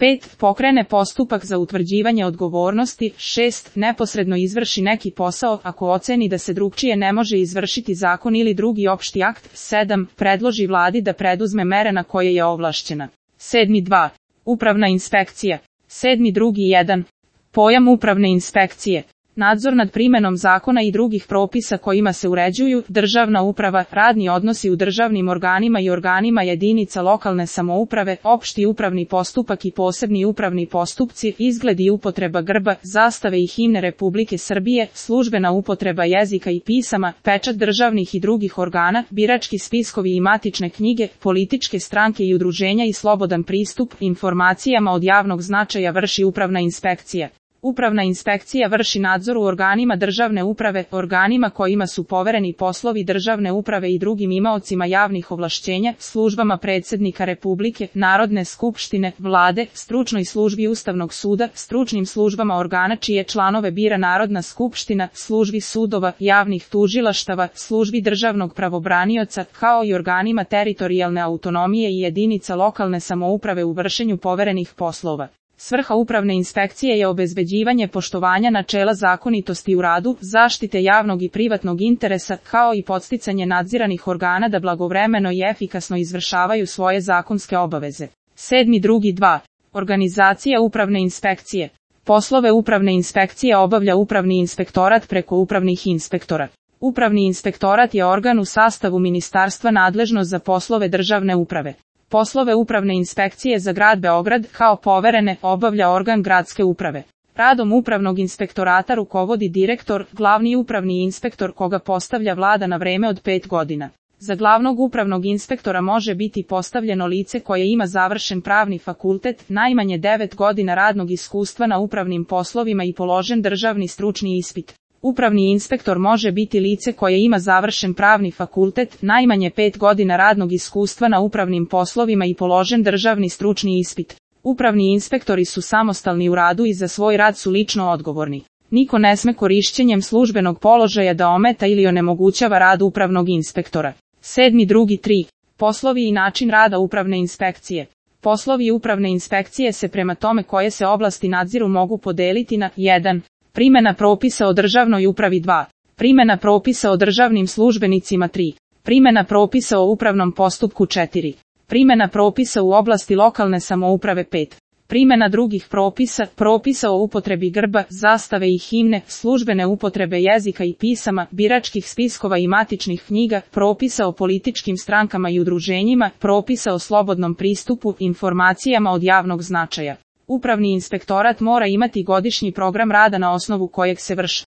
5. Pokrene postupak za utvrđivanje odgovornosti. 6. Neposredno izvrši neki posao ako oceni da se drugčije ne može izvršiti zakon ili drugi opšti akt. 7. Predloži vladi da preduzme mere na koje je ovlašćena. 7.2. Upravna inspekcija. 7.2.1. Pojam upravne inspekcije. Nadzor nad primenom zakona i drugih propisa kojima se uređuju državna uprava, radni odnosi u državnim organima i organima jedinica lokalne samouprave, opšti upravni postupak i posebni upravni postupci, izgled i upotreba grba, zastave i himne Republike Srbije, službena upotreba jezika i pisama, pečat državnih i drugih organa, birački spiskovi i matične knjige, političke stranke i udruženja i slobodan pristup informacijama od javnog značaja vrši upravna inspekcija. Upravna inspekcija vrši nadzor u organima državne uprave, organima kojima su povereni poslovi državne uprave i drugim imaocima javnih ovlašćenja, službama predsjednika Republike, Narodne skupštine, vlade, stručnoj službi Ustavnog suda, stručnim službama organa čije članove bira Narodna skupština, službi sudova, javnih tužilaštava, službi državnog pravobranioca, kao i organima teritorijalne autonomije i jedinica lokalne samouprave u vršenju poverenih poslova. Svrha upravne inspekcije je obezbeđivanje poštovanja načela zakonitosti u radu, zaštite javnog i privatnog interesa, kao i podsticanje nadziranih organa da blagovremeno i efikasno izvršavaju svoje zakonske obaveze. 7.2.2. Organizacija upravne inspekcije. Poslove upravne inspekcije obavlja upravni inspektorat preko upravnih inspektora. Upravni inspektorat je organ u sastavu ministarstva nadležno za poslove državne uprave. Poslove upravne inspekcije za grad Beograd, kao poverene, obavlja organ gradske uprave. Radom upravnog inspektorata rukovodi direktor, glavni upravni inspektor koga postavlja vlada na vreme od 5 godina. Za glavnog upravnog inspektora može biti postavljeno lice koje ima završen pravni fakultet, najmanje 9 godina radnog iskustva na upravnim poslovima i položen državni stručni ispit. Upravni inspektor može biti lice koje ima završen pravni fakultet, najmanje 5 godina radnog iskustva na upravnim poslovima i položen državni stručni ispit. Upravni inspektori su samostalni u radu i za svoj rad su lično odgovorni. Niko ne sme korišćenjem službenog položaja da ometa ili onemogućava rad upravnog inspektora. 7.2.3. Poslovi i način rada upravne inspekcije. Poslovi upravne inspekcije se prema tome koje se oblasti nadziru mogu podeliti na 1. Primjena propisa o državnoj upravi 2. Primjena propisa o državnim službenicima 3. Primjena propisa o upravnom postupku 4. Primjena propisa u oblasti lokalne samouprave 5. Primjena drugih propisa, propisa o upotrebi grba, zastave i himne, službene upotrebe jezika i pisama, biračkih spiskova i matičnih knjiga, propisa o političkim strankama i udruženjima, propisa o slobodnom pristupu informacijama od javnog značaja. Upravni inspektorat mora imati godišnji program rada na osnovu kojeg se vrši